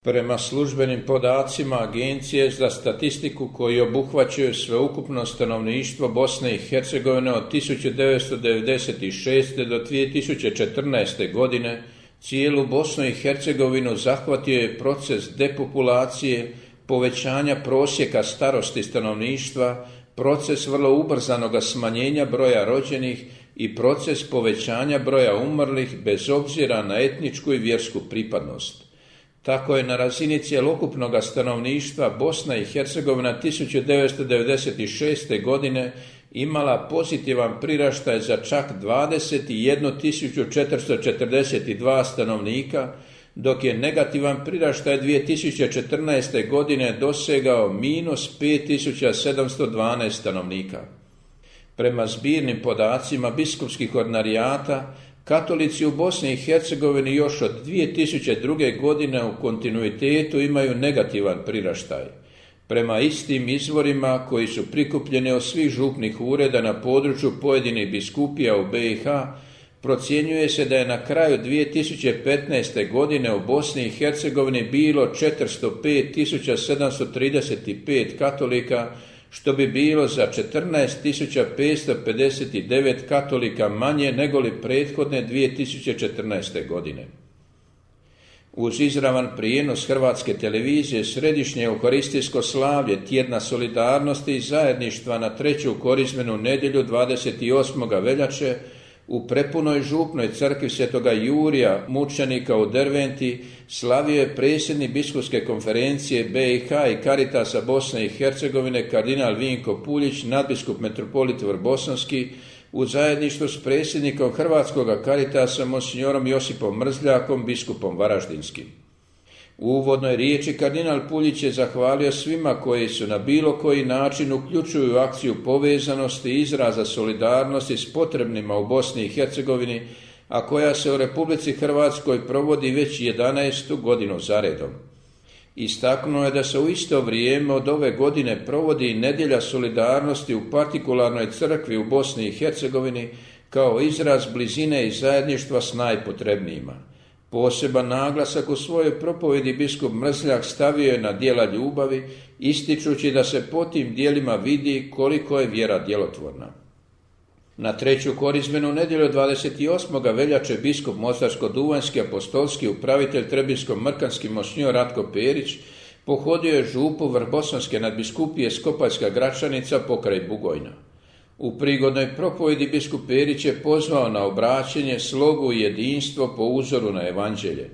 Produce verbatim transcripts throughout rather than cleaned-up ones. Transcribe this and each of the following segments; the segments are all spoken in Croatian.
Prema službenim podacima Agencije za statistiku koji obuhvaćaju sveukupno stanovništvo Bosne i Hercegovine od tisuću devetsto devedeset šeste. do dvije tisuće četrnaeste. godine, cijelu Bosnu i Hercegovinu zahvatio je proces depopulacije, povećanja prosjeka starosti stanovništva, proces vrlo ubrzanog smanjenja broja rođenih i proces povećanja broja umrlih bez obzira na etničku i vjersku pripadnost. Tako je na razini cjelokupnog stanovništva Bosna i Hercegovina tisuću devetsto devedeset šeste. godine imala pozitivan priraštaj za čak dvadeset jednu tisuću četiristo četrdeset dva stanovnika, dok je negativan priraštaj dvije tisuće četrnaeste. godine dosegao minus pet tisuća sedamsto dvanaest stanovnika. Prema zbirnim podacima biskupskih ordinarijata, katolici u Bosni i Hercegovini još od dvije tisuće druge. godine u kontinuitetu imaju negativan priraštaj. Prema istim izvorima koji su prikupljeni od svih župnih ureda na području pojedinih biskupija u B i H, procjenjuje se da je na kraju dvije tisuće petnaeste. godine u Bosni i Hercegovini bilo četiristo pet tisuća sedamsto trideset pet katolika, što bi bilo za četrnaest tisuća petsto pedeset devet katolika manje nego li prethodne dvije tisuće četrnaeste. godine. Uz izravan prijenos Hrvatske televizije središnje euharistijsko slavlje Tjedna solidarnosti i zajedništva na treću korizmenu nedjelju dvadeset osmog veljače u prepunoj župnoj crkvi Svetoga Jurija mučenika u Derventi slavio je predsjednik biskupske konferencije B i H i Caritasa Bosne i Hercegovine kardinal Vinko Puljić, nadbiskup metropolit Vrbosanski, u zajedništvu s predsjednikom Hrvatskog Caritasa monsignorom Josipom Mrzljakom, biskupom Varaždinskim. U uvodnoj riječi kardinal Puljić je zahvalio svima koji su na bilo koji način uključuju akciju povezanosti i izraza solidarnosti s potrebnima u Bosni i Hercegovini, a koja se u Republici Hrvatskoj provodi već jedanaestu godinu zaredom. Istaknuo je da se u isto vrijeme od ove godine provodi Nedjelja solidarnosti u partikularnoj crkvi u Bosni i Hercegovini kao izraz blizine i zajedništva s najpotrebnijima. Poseban naglasak u svojoj propovjedi biskup Mrzljak stavio je na djela ljubavi, ističući da se po tim djelima vidi koliko je vjera djelotvorna. Na treću korizmenu nedjelju dvadeset osmog veljače biskup Mostarsko-duvanjski apostolski upravitelj Trebinsko-mrkanski monsinjor Ratko Perić pohodio je župu Vrbosanske nadbiskupije Skopaljska Gračanica pokraj Bugojna. U prigodnoj propovjedi biskup Perić je pozvao na obraćenje, slogu i jedinstvo po uzoru na evanđelje.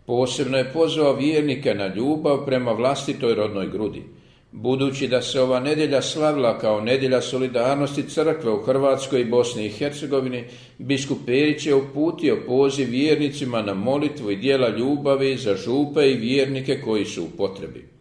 Posebno je pozvao vjernike na ljubav prema vlastitoj rodnoj grudi. Budući da se ova nedjelja slavila kao nedjelja solidarnosti crkve u Hrvatskoj i Bosni i Hercegovini, biskup Perić je uputio poziv vjernicima na molitvu i djela ljubavi za župe i vjernike koji su u potrebi.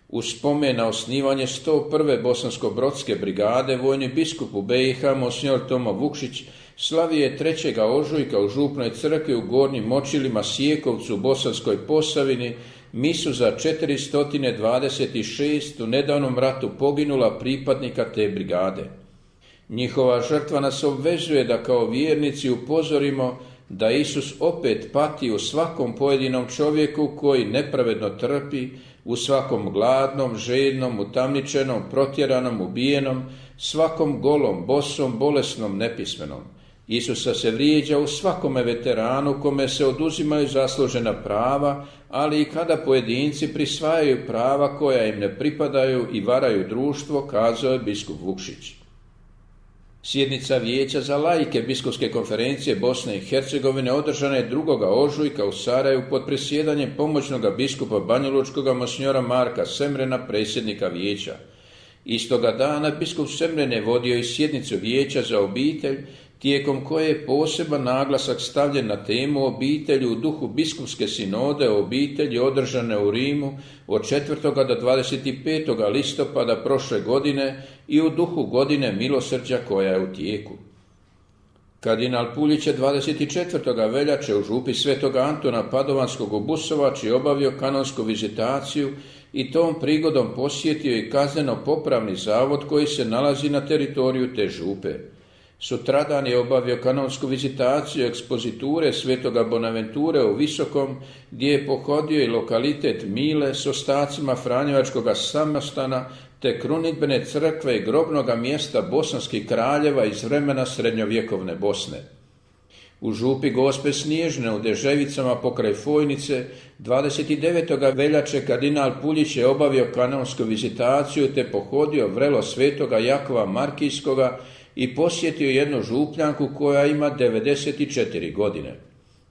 U spomen na osnivanje sto prve bosansko-brodske brigade vojni biskup u B i H monsinjor Tomo Vukšić slavio je trećeg ožujka u župnoj crkvi u Gornjim Močilima Sjekovcu u Bosanskoj Posavini misu za četiristo dvadeset šest u nedavnom ratu poginula pripadnika te brigade. Njihova žrtva nas obvezuje da kao vjernici upozorimo da Isus opet pati u svakom pojedinom čovjeku koji nepravedno trpi, u svakom gladnom, žednom, utamničenom, protjeranom, ubijenom, svakom golom, bosom, bolesnom, nepismenom. Isusa se vrijeđa u svakome veteranu kome se oduzimaju zaslužena prava, ali i kada pojedinci prisvajaju prava koja im ne pripadaju i varaju društvo, kazao je biskup Vukšić. Sjednica Vijeća za laike biskupske konferencije Bosne i Hercegovine održana je drugog ožujka u Sarajevu pod presjedanjem pomoćnog biskupa banjalučkog monsinjora Marka Semrena, predsjednika vijeća. Istoga dana biskup Semren je vodio i sjednicu Vijeća za obitelj, tijekom koje je poseban naglasak stavljen na temu obitelji u duhu biskupske sinode o obitelji održane u Rimu od četvrtog do dvadeset petog listopada prošle godine i u duhu godine milosrđa koja je u tijeku. Kardinal Puljić je dvadeset četvrtog veljače u župi Svetog Antona Padovanskog u Busovači obavio kanonsku vizitaciju i tom prigodom posjetio i kazneno-popravni zavod koji se nalazi na teritoriju te župe. Sutradan je obavio kanonsku vizitaciju ekspoziture svetoga Bonaventure u Visokom, gdje je pohodio i lokalitet Mile s ostacima Franjevačkoga samostana te krunidbene crkve i grobnoga mjesta bosanskih kraljeva iz vremena srednjovjekovne Bosne. U župi Gospe Snježne u Deževicama pokraj Fojnice dvadeset devetog veljače kardinal Puljić je obavio kanonsku vizitaciju te pohodio vrelo svetoga Jakova Markijskoga i posjetio jednu župljanku koja ima devedeset četiri godine.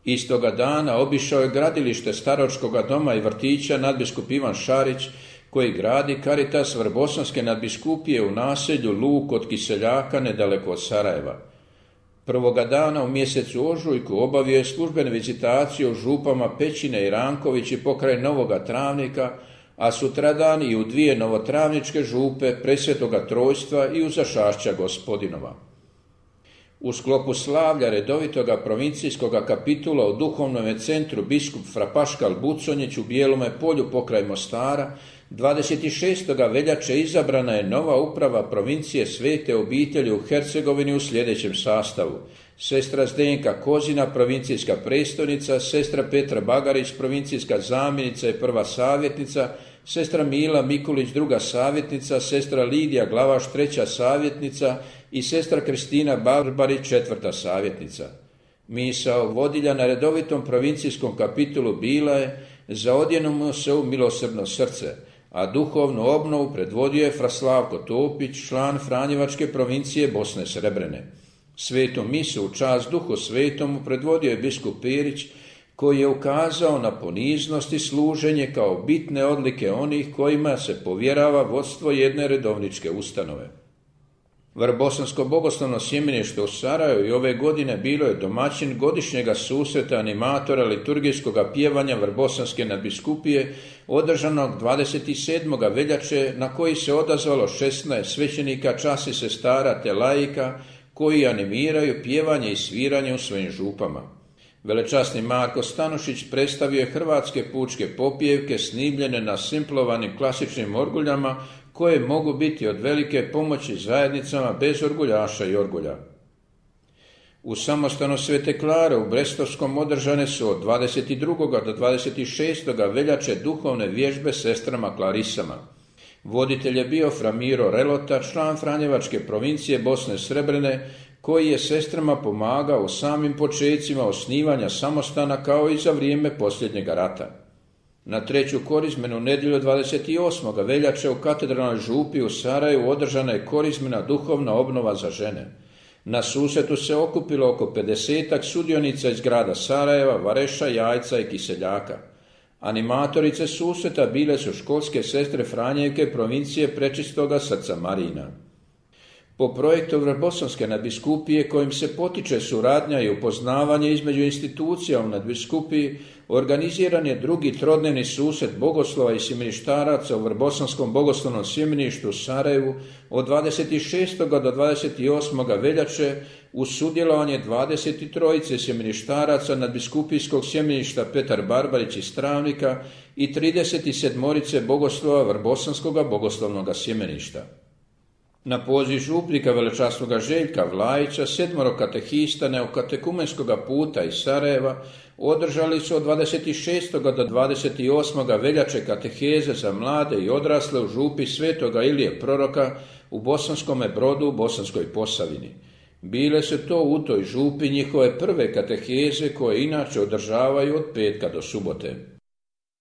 Istoga dana obišao je gradilište Staročkoga doma i vrtića nadbiskup Ivan Šarić, koji gradi Caritas Vrbosanske nadbiskupije u naselju Luk kod Kiseljaka nedaleko od Sarajeva. Prvoga dana u mjesecu ožujku obavio je službenu vizitaciju u župama Pećine i Ranković i pokraj Novoga Travnika, a sutradan i u dvije novotravničke župe Presvetoga Trojstva i u Zašašća Gospodinova. U sklopu slavlja redovitoga provincijskoga kapitula u duhovnom centru biskup fra Paškal Buconjić u Bijelome polju pokraj Mostara dvadeset šestog veljače izabrana je nova uprava provincije Svete obitelji u Hercegovini u sljedećem sastavu: sestra Zdenka Kozina, provincijska predstojnica, sestra Petra Bagarić, provincijska zamjenica i prva savjetnica, sestra Mila Mikulić, druga savjetnica, sestra Lidija Glavaš, treća savjetnica i sestra Kristina Barbarić, četvrta savjetnica. Misao vodilja na redovitom provincijskom kapitulu bila je: zaodjenimo se u milosrdno srce, a duhovnu obnovu predvodio je fra Slavko Topić, član Franjevačke provincije Bosne Srebrene. Svetu misu u čast Duhu Svetomu predvodio je biskup Perić, koji je ukazao na poniznost i služenje kao bitne odlike onih kojima se povjerava vodstvo jedne redovničke ustanove. Vrbosansko bogoslovno sjemenište u Sarajevu i ove godine bilo je domaćin godišnjega susreta animatora liturgijskog pjevanja Vrbosanske nadbiskupije održanog dvadeset sedmog veljače, na koji se odazvalo šesnaest svećenika, časi sestara te laika koji animiraju pjevanje i sviranje u svojim župama. Velečasni Marko Stanušić predstavio je hrvatske pučke popjevke snimljene na simplovanim klasičnim orguljama koje mogu biti od velike pomoći zajednicama bez orguljaša i orgulja. U samostanu Svete Klare u Brestovskom održane su od dvadeset drugog do dvadeset šestog veljače duhovne vježbe sestrama Klarisama. Voditelj je bio fra Miro Relota, član Franjevačke provincije Bosne Srebrene, koji je sestrama pomagao u samim počecima osnivanja samostana kao i za vrijeme posljednjega rata. Na treću korizmenu nedjelju dvadeset osmog veljače u katedralnoj župi u Sarajevu održana je korizmena duhovna obnova za žene. Na susretu se okupilo oko pedesetak sudionica iz grada Sarajeva, Vareša, Jajca i Kiseljaka. Animatorice susreta bile su školske sestre Franjevke provincije Prečistoga srca Marina. Po projektu Vrbosanske nadbiskupije, kojim se potiče suradnja i upoznavanje između institucija u nadbiskupiji, organiziran je drugi trodnevni susret bogoslova i sjemeništaraca u Vrbosanskom bogoslovnom sjemeništu u Sarajevu od dvadeset šestog do dvadeset osmog veljače uz sudjelovanje dvadeset trojice sjemeništaraca nadbiskupijskog sjemeništa Petar Barbarić iz Travnika i trideset sedmorice bogoslova Vrbosanskog bogoslovnog sjemeništa. Na poziv župnika velečasnoga Željka Vlajića sedmoro katehista neokatekumenskog puta iz Sarajeva održali su od dvadeset šestog do dvadeset osmog veljače kateheze za mlade i odrasle u župi Svetoga Ilije Proroka u Bosanskome Brodu u Bosanskoj Posavini. Bile se to u toj župi njihove prve kateheze koje inače održavaju od petka do subote.